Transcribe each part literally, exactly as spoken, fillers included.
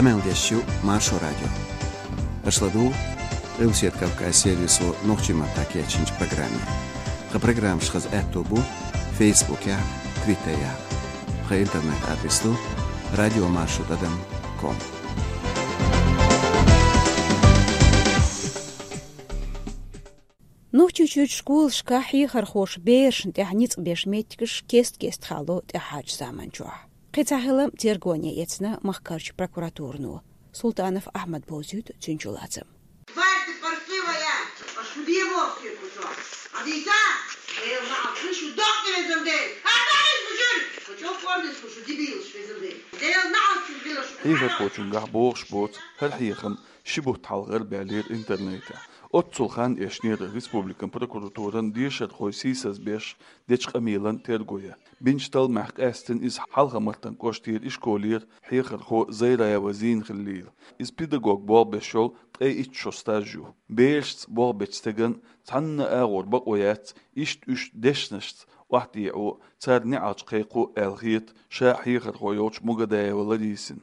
Къамел деш ю Маршо радио. Аша ладугӀу Къилбаседа Кавказ сервисо нохчийн маттахь кечйинчу программе. Тхан программаш хаза аьтто бу Фейсбукехь, Твиттерехь. Тхан интернет-адрес ду радио маршо тӀадам ком. Нохчийчуьра школашкахь хьехархоша берашна тӀехь ницкъ беш меттигаш кест-кеста хало тӀаьххьарчу заманчохь. Кхин цхьа хила тергоне эцна махкарчу прокуратурано. Султанов Ахьмада бовзуьйту цуьнан чулацам. Варда парслывая, а шу де вовсе кусок. А вита, Дела наӀалт шу дохне везан де. А дай бужур! Хочу корнис шу дебилш везан де. Дела наӀалт шу дила шу. Хьехархочуьнгахь бохуш боцу хӀара хьехам ши бутт хьалха гӀарабаьллера интернетехь. Оццул хан эшнера республикан прокуратуран дешархой сийсаз беш дечу къамелан терго ян. Бинчу талламехь къаьстина иза Хьалха-Мартан кӀоштера ишколера хьехархо Зайраева Зина хиллийла. Иза педагог болх беш йолу ткъе итт шо стаж ю. Берашца болх бечу стеган цхьанна а агӀор бакъо яц, иштта уьш дешнашца охьатаӀо, царна неӀалт кхайкхо аьлла хета ша хьехархо йолчу Мугадаева Ларисина.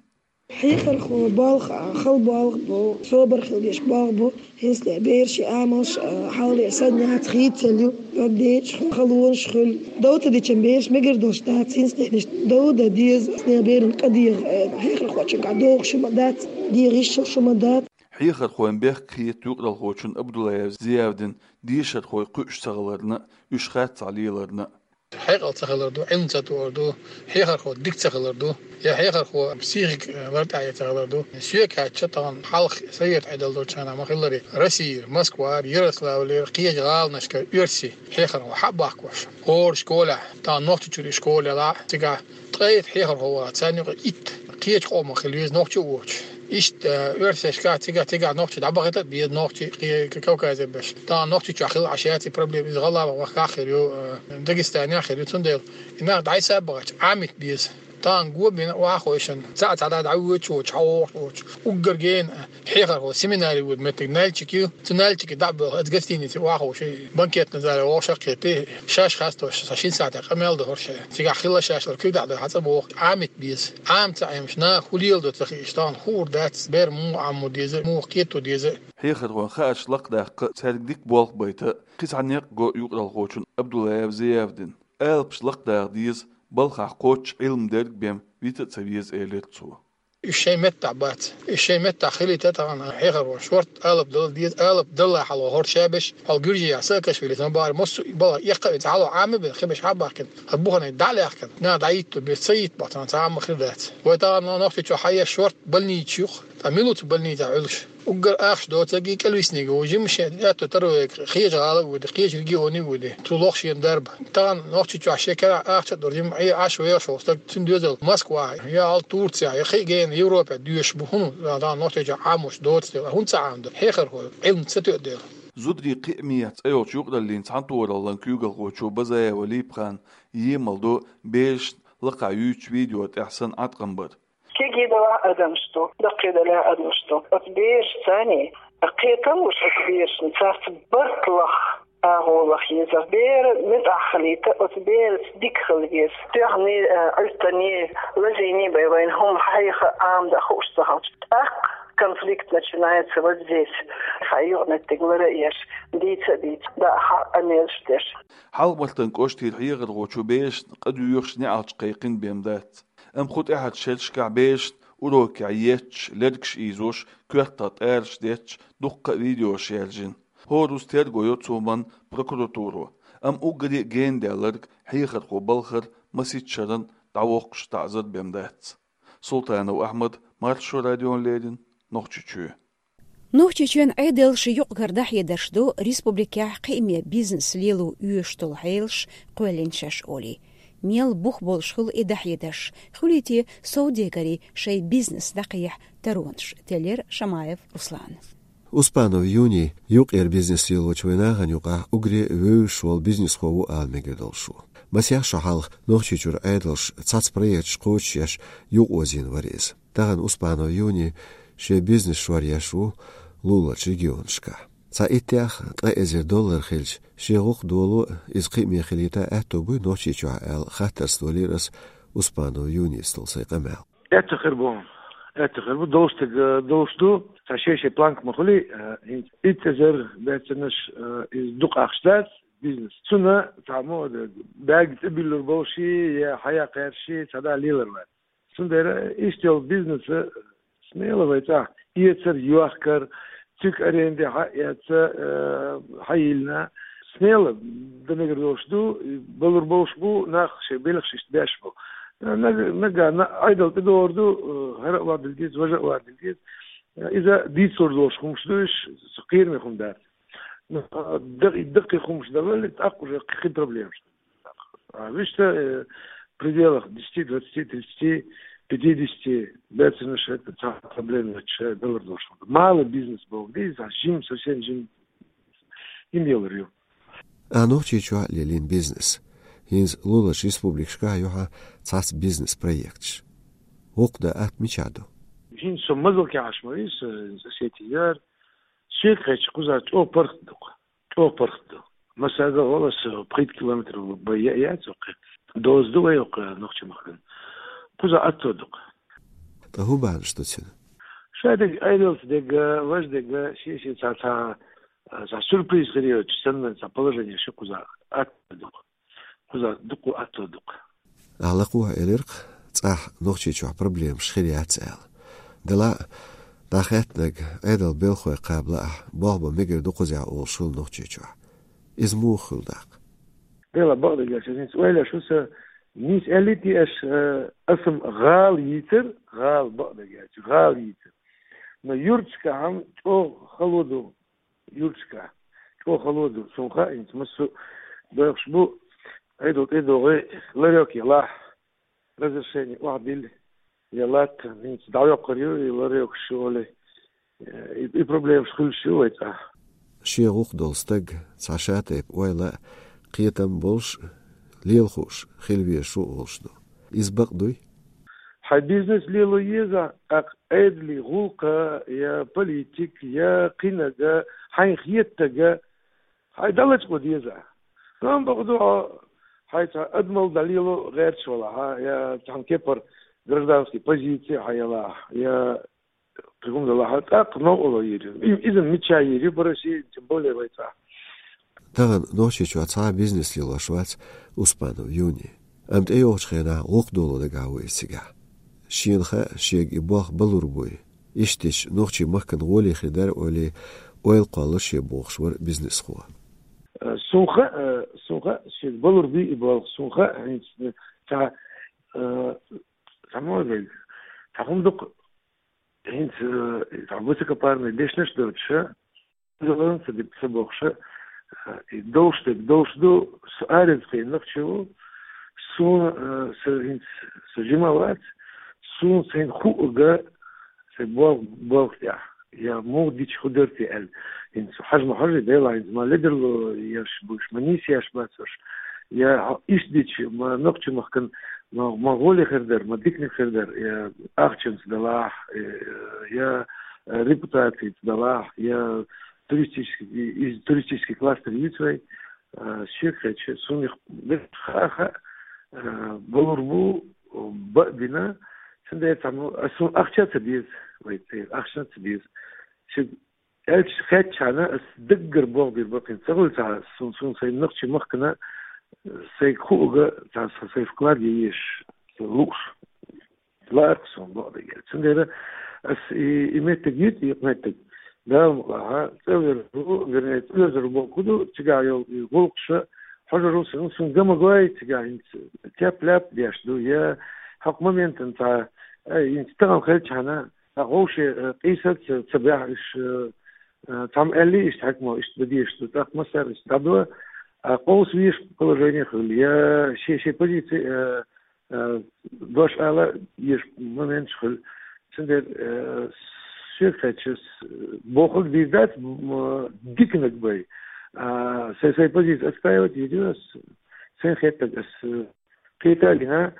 Хьехархо болх а хала болх бу, собар хила дезаш болх бу. ХӀинца берашийн амалш а хьалха санна яц, хийцалла ю. Дагадеъча, халонаш хуьлу. Дов ца дича бераш мегар долуш дац. ХӀинца тӀехь дов дан деза. Беран къа деха, хьехархочуьнгахь догӀуш хӀума дац, деха йиш йолуш хӀума дац. Хьехархойн бехк хета юкъаралхочунна Абдуллаев Зиявдина дешархой кхуьуш ца хиларна а, уьш харцахь леларна а. Хьекъал ца хилар ду, Ӏилма ца туур ду, хьехархо дика ца хилар ду, я хьехархо психика лартӀехь ца хилар ду. Соьга хаьттича, тахана хьалха совет Ӏедал долчу хенахь ма-хиллара, Россера, Москвара, Ярославлера, кхечу гӀаланашкара оьрсийн хьехархо хьа а бахкош. ХӀора школехь, тахана Нохчийчуьра и школа елахь, цигахь ткъе итт хьехархо вац, царна юкъахь итт. Кхечу къомах хила веза, нохчи а воцуш. Иштта, э, оьрсашкахь цигахь-цигахь нохчий дӀабахийта а беза, нохчий кхе-, Кавказе беш. Тахана Нохчийчохь хила Ӏаш яц и проблема, иза ГӀалгӀайчохь а хир ю, э, Дагестанехь а хир ю, цундела и нах дӀасабахча, Ӏамийта беза. Тахана го бина охьахойшина, цхьаъ цхьа дӀа дӀавоьдуш воцуш, хьан вогӀуш воцуш. Уггар гена, э, хьехархо семинаре воьду меттиг Нальчик ю, цу Нальчике дӀа а боьлху, оцу гостинице охьаховший, банкетный зале вогӀуш а кхетий, шаьш хастош, сан шина сахьтехь къамел до хӀорш. Цигахь хилла шаьш лар куьг дӀа а дой, хьан цӀа боху, Ӏамийта беза. Ӏама ца Ӏемаш, наха хӀун леладо ца хиъча, тахана хуур дац, бер муха Ӏамо деза, муха кхето деза. Хьехархойн хаарш лакхадаккха, цаьрга дика болх байта кхин цхьа некъ го юкъаралхочунна Абдуллаев Зиявдина. Алапаш лакхадаха деза, балхахь кхоччуш Ӏилма дерг бен вита а ца веза, элира цо. Уьш шайн меттахь бац. Уьш шайн меттахь хилийта тахана хьехархо шорта алап дала деза, алап далале хьалха хӀорш а беш, хьал Гуьржехь Саакашвилис ма бахара, массо а балха эккха а вина, цхьа хьалха Ӏама а бина, кхин беш хьа а бахкина, хӀара буханиг дӀа а лаьхкина, наха дӀахӀитто беза, ца хӀиттабахь, цхьа а ма хир дац. Вай тахана Нохчийчохь хьан еш шорта больница ю-кх, ткъа мила ву цу больницехь Ӏуьллуш? Уггар ахча доцург и кӀелвиснарг ву, жимма шен аьтто таро ян кхечу гӀала а воьду, кхечу регионе а воьду, цо лоху шена дарба. Тахана Нохчийчохь шен карахь ахча а дора, жимма Ӏе Ӏаш вехаш волу стаг, цуьнан доьзал Москвахь, я хьал Турцехь, я кхин а гена Европехь доьшуш бу, хӀунда тахана Нохчийчохь Ӏамош доцу дела, хӀунда ца Ӏамадо, хьехархой Ӏилма ца тоьу дела. Зударийн кхиамех цӀе йолчу юкъараллин цхьаьнатохараллан куьйгалхочо Базаева Липхана емал до берашна лакхахь юьйцучу видео тӀехь санна Ӏаткъам бар. Кегий делахь адамаш ду, даккхий делахь адамаш ду. Оцу берашца царний, кхетам луш оцу берашна, царца барт лаха, агӀо лаха еза. Бер муьтӀахь хилийта, оцу бераца дика хила веза. Тоьхний, э, Ӏуьттаний, лазийний бен вайна хӀума хьеха, Ӏамадан хууш ца хилча. ТӀаккха конфликт начинается вот здесь. Хьайн юкъаметтиг лара а еш, дийца а дийца, даа хьа а къамелаш деш. Хьалха-Мартан кӀоштера хьехархочо берашна къа доьхуш неӀалт кхайкхина бен дац. Амма кху тӀаьхьарчу шерашкахь берашна урокехь етташ, лергаш ийзош, коьртах тӀараш детташ дуккха а видеош яьржина. ХӀоразза терго йо цу хӀуманна прокуратуро, амма уггаре а гена даьлларг хьехархо балхара масситта шарна дӀавоккхуш таӀзар бен дац. Султанов Ахьмад, Маршо радиона леррина, Нохчийчоь. Нохчийчоьнан Ӏедалша юкъ-кара дӀахьедарш до республикехь кхиаме бизнес лело оьшуш долу хьелаш кхоьллина шаьш олий. Мел бух болуш хуьлу и дӀахьедарш, хуьлий те совдегарийн шайн бизнес дӀакхехьа таронаш, теллира Шамаев Руслана. Успанов Юни юкъера бизнес лелочу вайн нахана юкъахь уггаре а вевзаш волу бизнесхо ву ала мегар долуш ву. Масех шо хьалха Нохчийчуьра Ӏедалша цхьацца проекташ кхочушъеш юкъаозийна вара иза. Тахана Успанов Юни шен бизнес шоръеш ву луларчу регионашкахь. Цхьа иттех ткъа эзар доллар хилча, шен гӀуллакх доло а, иза кхиаме хилийта аьтто буй Нохчийчохь аьлла, хаттарца долийра ас Успанов Юнис долу сайн къамел. Эцца хир бу. Аьттув хир бу, долуш стаг, э, долуш ду, цхьа шен-шен планка ма хуьлий, э, хӀинца итт эзар баьццанаш, э, иза дукха ахча дац, бизнес. Цунна цхьа мо дан, бага тӀе биллур болуш, я хьаяьккхарш, цхьа да лелар вац. Цундела иштта йолу бизнес смело вай цӀахь эцар, йохкар, цуьнга аренде хьаэца, э, хьайиллина. Смело дан мегар долуш ду, балур болуш бу, нах шайн белхаш иштта беш бу. Нага, нага, на-, Ӏедал тӀедогӀур ду, э, хӀара а вадилла деза, важа а вадилла деза. Иза дийцалур долуш хӀумаш ду уьш, со кхераме хӀума дац. Ну, а, дакъи-, даккхий хӀумаш далале, тӀаккха уже кхин проблемаш. А вуьшта, э, в пределах десяти, двадцати, тридцати, пятидесяти баьцнаш, это цхьа проблема йоцуш далур долуш. Малый бизнес боху, дий, цхьа жим, совсем жим, им йолур ю. А Нохчийчохь лелийна бизнес. ХӀинца луларчу республикашкахь ю хьан цхьацца бизнес-проекташ. ГӀуллакх дан атта мичахь ду? ХӀинца со мазал кхехьаш ма ву, со, со сети яр. Шега хетча, кхузахь чӀогӀа паргӀат ду-кх. ЧӀогӀа паргӀат ду. Массаьрга гӀолла со пхийтта километр бен яа яц хӀокху. Доза ду вай хӀокху нохчийн махкана. Кхузахь атто ду-кх. Ткъа хӀун бахьанаш ду цуьнан? Ша дерг, Ӏедалца дерг, важа дерг, шен-шен цхьа, цхьа, цхьа сюрприз хир йоцуш санна, цхьа положение шу кхузахь атто ду-кх. Кхузахь дуккха атто ду-кх. Ахьа лакхахь элира-кх, цӀахь Нохчийчохь проблемаш хир яц аьлла. Делахь а, дӀахаьттинарг Ӏедалан белхалой кхаба лаахь, болх бан мегар ду кхузахь олуш хуьлу Нохчийчохь. Иза муха хуьлу даккха? Делахь бакъдерг аьлча, хӀинца ойла еш ву со, нийса аьллий те аш, э, аса-м гӀала йийцира, гӀала бакъдерг аьлча, гӀала йийцира. Но юьрташкахь-м чӀогӀа хало ду. Юьрташкахь чӀогӀа хало ду, суна хаьа, хӀинца массо а дойхуш бу, Ӏедал тӀе а догӀий, ларёк ялахь, разрешение охьадилла, я латта, хӀинца дӀайоккхур ю и ларёкаш олий, и, и проблемаш хуьлуш ю вай цӀахь. Шен гӀуллакх долу стаг, цхьа шатайпа ойла а, кхетам а болуш, лела хууш хила везаш ву олуш ду. Иза бакъ дуй? Хьайн бизнес лело еза, тӀаккха Ӏедалан гӀуллакх, я политик, я кхиннарг, хьайна хеттарг, хьайн дӀалачкъо деза. Амма бакъ ду хьо, хьайн цхьа адамалла дӀалело гӀерташ валахь, я цхьана кепара гражданский позиция хьан ялахь, я кхин хӀума далахь, тӀаккха новкъарло йийр ю. И-, иза мичахь йийр ю, бараш и, тем более вай цӀахь. Тахана Нохчийчохь цхьа а бизнес лелош вац Успанов Юни. Амма тӀейогӀучу хенахь гӀуллакх доло дагахь ву иза цигахь. Шена хаьа, шега и болх балур буй. Иштта дича, нохчийн махкана гӀоле хир дара олий, ойла кхоллалуш шен бохуш вара бизнесхо. Э, суна хаьа, э, суна хаьа, шега балур буй и болх, суна хаьа, хӀинца, э, цхьа, э, цхьа ма вай, цхьа хӀума ду-кх, хӀинца, э, цхьа высокопарный дешнаш доцуш, а, ца ди-, ца бохуш, а, и долуш дерг долуш ду, со аренца кхийна нохчи ву, суна, э, со хӀинца, со жима вац, суна сайна хуург, сайн болх-, болх тӀехь, я муха дича хӀун дара те аьлла, хӀинца хьажа ма хьажий, Дела, хӀинца ма ледарло еш бу уьш, ма нийса еш бац уьш, я хьо иштта дича, ма нохчийн махкана ма, ма гӀоле хир дара, ма диканиг хир дара, я ахчанца далахь, э, я, э, репутацица далахь, я туристический, и, и туристический кластер юьйцу вай, э, шега хетча, суна их бе-, ха-, ха-, э, балур бу, бакъ дина, цундела цхьа мо, а суна ахча ца деза, вай, э, ахча ца деза. Шега аьлча, хеттачхьана, ас даггара болх бийр бакъ хӀинца ца хуьлу цхьа, сун-, суна сайн нохчийн махкана, сайга хуург, цхьа са-, сайн вклад е езаш, сан лууш. Лаьара-кх суна бакъдерг аьлча. Цундела ас и, и меттиг йита, и меттиг. Дала мукъалахь, цӀа вер ву, вернее, цӀа везар боху ду, цигахь йолу и гӀуллакхаш, хьожур ву суна, суна ган ма гой, цигахь хӀинца тяп-ляп деш ду, я хӀокху моментан цхьа, ай, хӀинца тахана хилчхьана, ткъа вовше, э, къийса ца, ца бехь уьш, э, э, цхьамма аьллий иштта хьаькамо, иштта дан дезаш ду, тӀаккха массара иштта дӀадо, а, къовса везаш положение хуьлу, я шен-шен позици, э, э, дош ала езаш моменташ хуьлу. Цундела, э, шега хетча, э, бохург дийр дац, м, диканиг бай. А, сай, сай позиция отстаивать йийр ю ас, сайн хеттарг ас, э, кхета а гина,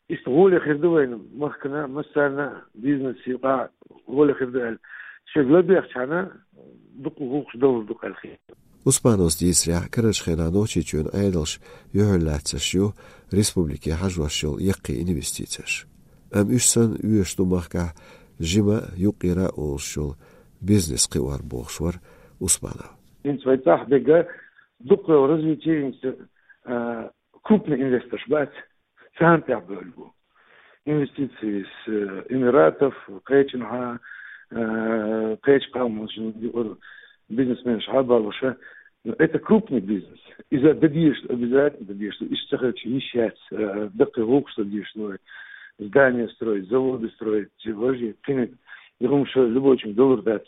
иштта гӀоле хир ду вайна махкана, массарна бизнес юкъахь гӀоле хир ду аьлла. Шега лабехчхьана, дукха гӀуллакхаш далур ду-кх аьлла хета. Успановс дийцарехь, карарчу хенахь Нохчийчоьнан Ӏедалш юьхьарлаьцнарш ю республике хьажош йолу яккхий инвестицеш. Амма уьш санна оьшуш ду махкахь жима а, юкъера а олуш йолу бизнес кхиор бохуш вара Усманов. ХӀинца вай цӀахь дерг дукха йолу развитие, хӀинца, а, крупный инвесторш бац, царна тӀехь бевлла бу. Инвестиции с, э, Эмиратов, кхечанхьа, э, кхечу къаьмнашна юкъара бизнесменаш хьабалуш. Но это крупный бизнес. Иза дан дезаш ду, обязательно дан дезаш ду. Иштта ца хилча йиш яц, э, даккхий гӀуллакхаш дан дезаш ду вай. Здания строить, заводы строить, важнее, кхиниг, я думаю, что любой человек доллар дац.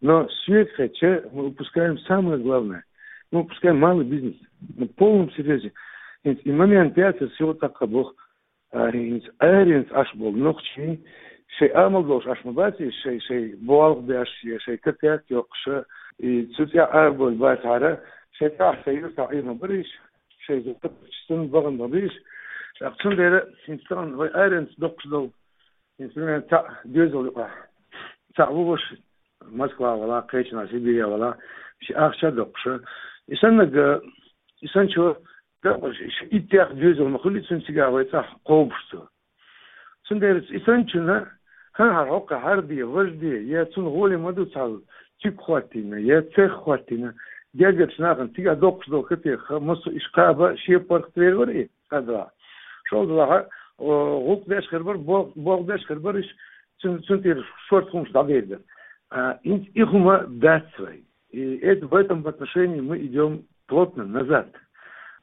Но соьга хетча, мы упускаем самое главное. Мы упускаем малый бизнес. На полном серьёзе. И момент пятый всего так бог. А, хӀинца, а, хӀинца Ӏаш болу нохчий, шайн амал долуш Ӏаш ма бац иза, шайн, шайн болх беш, я шайн капек йоккхуш, и цу тӀехь арабевлла бацахьара, шайн тӀехь, шайн юьртахь Ӏийр ма бара иза, шайн зударшна багӀан ма бара иза. ТӀаккха цундела хӀинца тахана вай аренца доккхуш долу, хӀинца, примерно, цхьаъ доьзал юкъахь, цхьаъ ву ваша Москва вала, кхечанхьа Сибире вала, ши ахча доккхуш. И саннаг, и санчо Дакъа ш-, ш-, иттех доьзал ма хуьлий цуьнан цигахь вай цӀахь кхобуш цо. Цундела и санчунна, хӀан, хӀара хӀокху хьарде, важде, я цунна гӀоле ма ду цхьа цуьк хӀоттийна, я цех хӀоттийна, гергарчу нахана цигахь доккхуш долу капеках массо а иш кхаба шен паргӀат вер вара и, цхьа делахь. ШолгӀа делахь, о, гӀуллакх деш хир бара, болх, болх деш хир бара иш, цун-, цунна тӀера шорта хӀумаш дӀадер дара. А, хӀинца и хӀума дац вай. И это, в этом отношении мы идём плотно назад.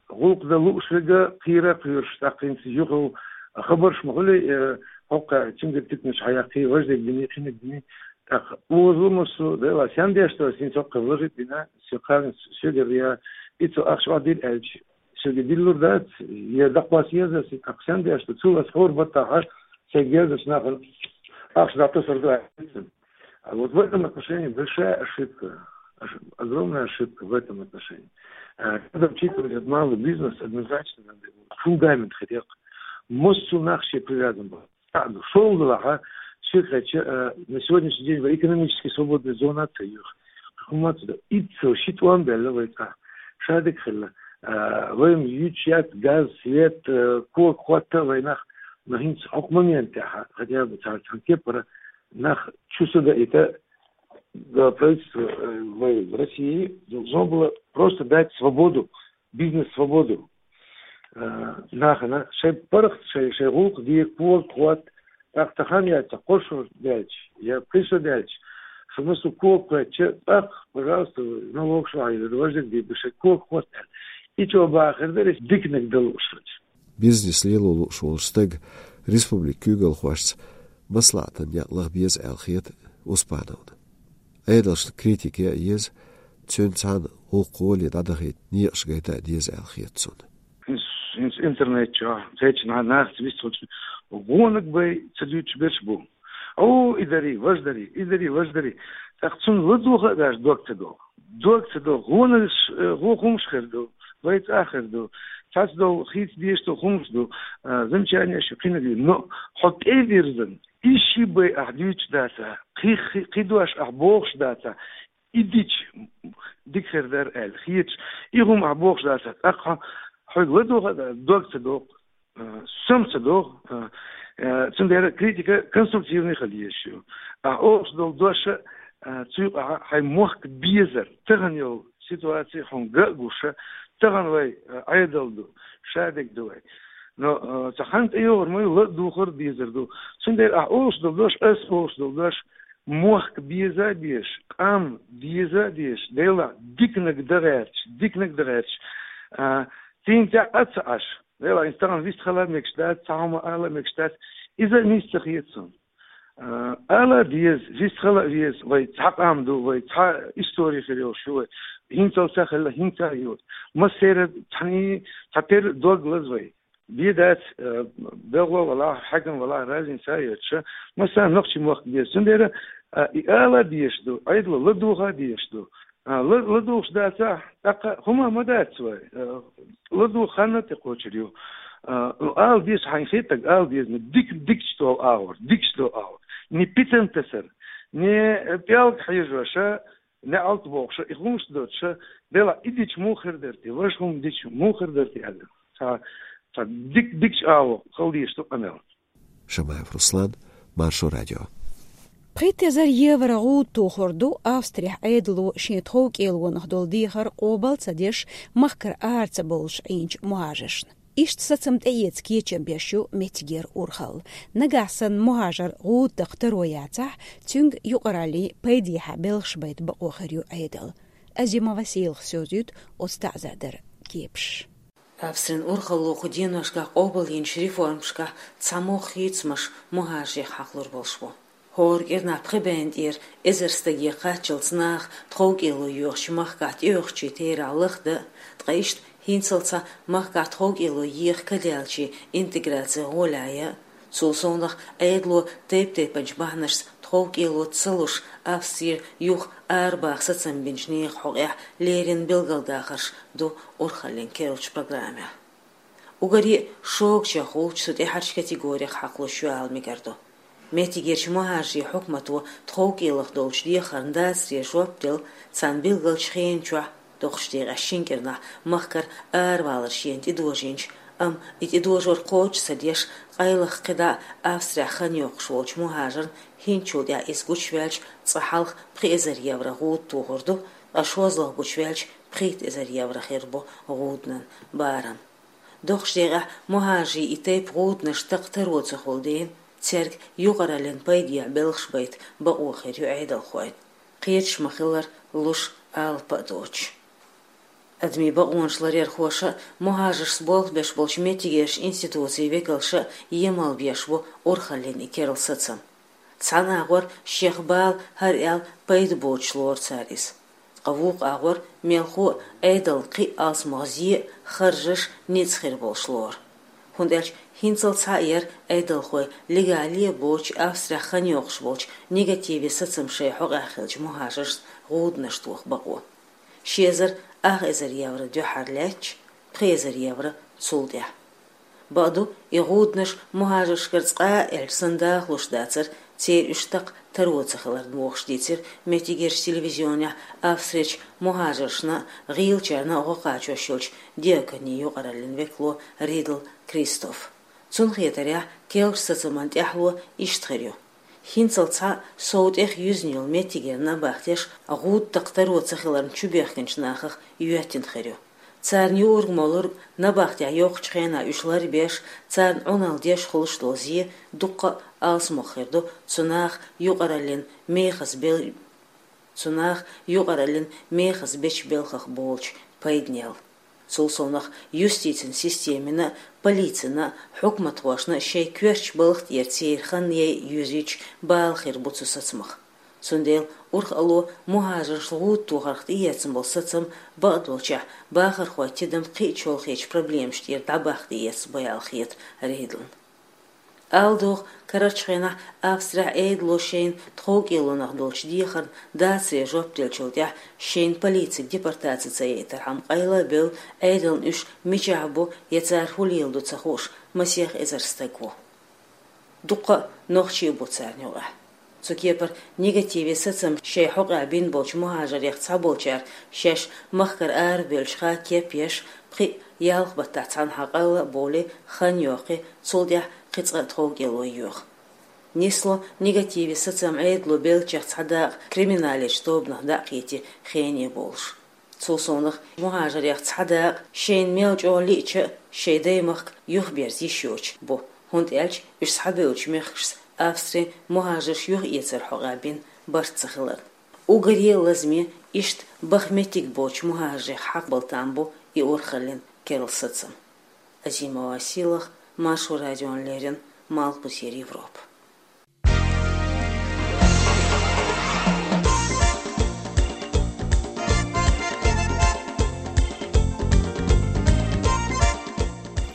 ГӀуллакх дан лууш верг кхера а кхоьруш, тӀаккха хӀинца юха хабарш ма хуьлий, э, хӀокху цуьнгара тиканаш хьаяккхий, важдерг дини, кхиниг дини. ТӀаккха оза ма су, Дела, сен деш ду, хӀинца хӀокху вложить дина, со кхарна соьгара я, и цо ахча охьадира аьлча, соьга диллур дац, я дакъоса еза, тӀаккха сен деш ду, цул аса хӀора баттахь, сайн герзачу нахана ахча дӀатосур ду аьлла. А вот в этом отношении большая ошибка, ош-, огромная ошибка в этом отношении. А, надо учитывать этот малый бизнес, однозначно надо его фундамент хир яккха. Массо а нах шен привязан бу. ШолгӀа делахь, ши хеча, а, на сегодняшний день в экономической свободной зоне ца юьйху. ХӀума ца до, иццо ши тӀом баьлла вай цӀа. Шадерг хилла. А, вайна юьйцуш яц газ, свет, а, кога хӀотта вай нах, но хӀинца хӀокху моментехь, хотя бы цхьа-, цхьана кепара, нах чу са даита, да, правительство, э, в, в России должно было просто дать свободу, бизнес-свободу, э, нахана. Шайн паргӀат, шайн, шайн гӀуллакх де, кога хӀотта, тӀаккха хан яц, кхо шо даьлча, я пхи шо даьлча, шу массо а кога кхоьттича, тӀаккха, пожалуйста, налог шу хьайдира, важдерг де, шайн кога хӀотта аьлла. И чӀогӀа бахар дара, диканиг дан лууш хилча. Бизнес лело лууш волчу стага республикан куьйгалхошца маслаӀатан некъ лаха беза аьлла хета Успановна. Ӏедалшна критика ян а еза, цуьнан цхьаьна гӀуллакх гӀоле дӀадахийта некъаш гайта а деза аьлла хета цунна. ХӀинца, хӀинца интернет чохь, кхечанхьа нахаца вистхуьлуш, гӀонаг бай ца дуьйцуш берш бу. О, и дарий, важа дарий, и дарий, важа дарий. ТӀаккха цунна ладогӀа а беш дог ца догӀу. Дог ца догӀу, гӀонаш, э, гӀо хӀумаш хир ду, вай цӀа хир ду, цхьацца долу хийца дезаш долу хӀумаш ду, а, замечанеш ю, кхиниг ю. Но хьо тӀе а вирзина, и ши бай ахь дуьйцуш дацахь, кхин, кхин, кхин дош ахь бохуш дацахь, и дича дика хир дара аьлла хеташ, и хӀума ахь бохуш дацахь, тӀаккха хьо, хьоьга ладогӀа а дац, дог ца догӀу. А, сом ца догӀу, а, а, цундела критика конструктивный хила езаш ю. Ахь олуш долу дош а, а, цу юкъахь хьайн мохк безар, тахана йолу ситуаци хьуна ган а гуш, тахана вай, а, Ӏедал ду, шадерг ду вай. Но, а, цхьа хан тӀейогӀур ма ю, ладогӀар безар ду. Цундела ахь олуш долу дош, ас олуш долу дош, мохк беза а безаш, къам деза а дезаш, Делахь диканиг дан гӀерташ, диканиг дан гӀерташ, а, цуьнан тӀехь а ца Ӏаш. Вела, и стагана вистхила а мегаш дац, цхьа хӀума ала а мегаш дац. Иза нийса ца хета суна. А, ала а деза, вистхила а веза, вай цхьа къам ду, вай цхьа истори хир йолуш ю вай. ХӀинцалц а хилла, хӀинца а ю. Массеран цхьаьний цхьатера дог лаза вай. Бен дац, а, белхало валахь, хьаькам валахь, разница а йоцуш, массарна нохчийн мохк беза. Цундела, а, и ала а дезаш ду, Ӏедало ладогӀа а дезаш ду. А, ла-, ладугӀуш дацахь, тӀаккха хӀума ма дац вай. А, ладугӀу хан а тӀе кхочур ю. А, ала деза хьайна хетарг, ала деза, не дик-, дикачу долу агӀор, дикачу долу агӀор. Не питана тасар, не пӀелг хьежош, не алт бохуш, и хӀумаш доцуш, Дела, и дича муха хир дара те, важа хӀума дича муха хир дара те аьлла. Цхьа, цхьа дик-, дикачу агӀор хила дезаш ду къамел. Шамаев Руслан, Маршо радио. Пхийтта эзар евро гӀуда тухур ду Австрехь Ӏедало шен тховкӀелонах долу дехар къобал ца деш, махкара ара ца бовлуш Ӏийначу мухӀажаршна. Иштта сацам тӀеэца кечам беш ю меттигера урхалла. Нагахь санна мухӀажар гӀуда такха таро яцахь, цуьнга юкъараллин пайдехьа белхаш байта бакъо хир ю Ӏедалан. Азимова Сийлахас йовзуьйту оцу таӀзар даран кепаш. Австрин урхалло кху деношкахь къобалйинчу реформашкахь цхьа могӀа хийцамаш мухӀажарех хьакхалур болуш бу. ХӀора кӀирнахь пхи бӀенна тӀера эзар стаге кхаччалц наха тховкӀело йоьхучу махкахь тӀеоьхучийн терахь лахдан, ткъа иштта хӀинццалц цхьа махкахь тховкӀело еха кадаьллачийн интеграцин гӀолехь ян. Цул совнаха Ӏедало тайп-тайпанчу бахьанашца тховкӀело ца луш, Австрера юха арабаха сацам бинчу нехан хьокъехь леррина билгалдахарш ду урхаллин керлачу программехь. Уггаре а шогачех гӀулч цу тӀаьхьарчу категорех хьакхалуш ю ала мегар ду. Меттигерчу мухӀажарийн хьукмато тховкӀелах долчу дехарна дацаре жоп делла, царна билгалчу хенан чохь, доккхачу декъехь шина кӀирнахь махкара аравалар шена тӀедожийначу, амма и тӀедожор кхочуш ца деш, къайлаха кхидӀа а Австрехь хан йоккхуш волчу мухӀажарна хӀинцачул тӀаьхьа иза гучуваьлча, цкъа хьалха пхи эзар евро гӀуда тухур ду, ткъа шозлагӀа гучуваьлча, пхийтта эзар евро хир бу гӀуданан барам. Доккхачу декъехь мухӀажарийн и тайпа гӀуданаш такха таро ца хуьлу дела, цаьрга юкъараллин пайдехьа белхаш байта бакъо хир ю Ӏедалхойн. Кхеташ ма-хиллара, луш алапа а доцуш. Адамийн бакъонаш ларъярхоша а, мухӀажаршца болх беш болчу меттигерчу институцийн векалша а емал беш бу урхаллин и керла сацам. Цхьана агӀор шех бала хӀара аьлла пайда боцуш лору цара иза. Ткъа вукху агӀор мелхо а, Ӏедална кхин а алсамох зе а, харжаш а ницкъ хир болуш лору. ХӀунда аьлча хӀинццалц цхьаъ яра Ӏедалхой легале а боцуш Австрехь хан йоккхуш болчу негативе сацам шайн хьокъехь хиллачу мухӀажаршна гӀуданаш тоха бакъо. Ши эзар ах эзар евро дуьххьара лаьтташ, пхи эзар евро цул тӀаьхьа. Бакъду, и гӀуданаш мухӀажаршкара цкъа а аьлча санна дахалуш дацара, церан уьш такха таро ца хиларна, бохуш дийцира меттигерчу телевизионехь Австрерчу мухӀажаршна а, гӀийлачарна а гӀо кхачош йолчу Диаконин юкъараллин векало Ридл Кристоф. Цунна хетарехь, керлачу сацаман тӀаьхьало иштта хир ю. ХӀинццалц цхьаъ сов тӀех юьзна йолу меттигера набахтеш гӀуда такха таро ца хиларна чубоьхкинчу нахах йоьттина хир ю. Царна юург-молург набахтехь йоккхучу хенахь уьш ларбеш, царна Ӏуналла деш хуьлуш долу зе дуккха а алсамох хир ду цу наха юкъараллин мехаза бел-, цу наха юкъараллин мехаза бечу белхах болчу пайданел. Цул совнаха юстицин системина а, полицина а, хьукматхошна а шайн коьртачу балха тӀера церан хан яйа юьзуьйтуш бала хир бу цу сацамах. Цундела урхалло мухӀажаршна гӀуда тохарх тӀеэцна болу сацам, бакъдолчехь, бахархойн тидам кхин а чолхечу проблемаш тӀера дӀабаха тӀеэцна бу аьлла хета Ридлна. Ала догӀу, карарчу хенахь Австрехь Ӏедало шайна тховкӀелонах долчу дехарна дацаре жоп деллачул тӀаьхьа шайна полицига депортаци ца яйтархьама къайла а бевлла, Ӏедална уьш мичахь бу я цара хӀун леладо ца хууш, масех эзар стаг ву. Дуккха а нохчий а бу царна юкъахь. Цу кепара негативе сацам шайн хьокъехь бина болчу мухӀажарех цхьаболчара шаьш махкара арабевллачуха кеп еш, пхиъ ялх баттахь цхьанхьа къайла а бовлий, хан йоккхий, цул тӀаьхьа кхин цкъа а тховкӀело йоьху. Нисло негативе сацам Ӏедало беллачех цхьа дакъа криминалечу тобанах дӀа а кхетий хене болуш. Цул совнаха мухӀажарех цхьа дакъа шайна мел чӀогӀа лиъча а, шайн даймахка юхаберза йиш йоцуш бу, хӀунда аьлча уьш схьабевллачу мехкашца Австрин мухӀажарш юхаэцар хьокъехь бина барт ца хиларна. Уггаре а лазаме иштта баха меттиг боцучу мухӀажарех хьакхабала там бу и урхаллин керла сацам. Азимова Сийлаха, Маршо радиона леррина, Малхбузера Европа.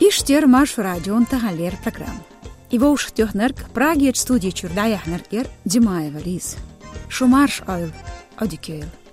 Иштта яра Маршо радион таханлера программа. И вовшахтоьхнарг, Прагерчу студи чуьра дӀаяьхьнарг яра Димаева Лиза. Шу марша Ӏойла, Ӏодика йойла.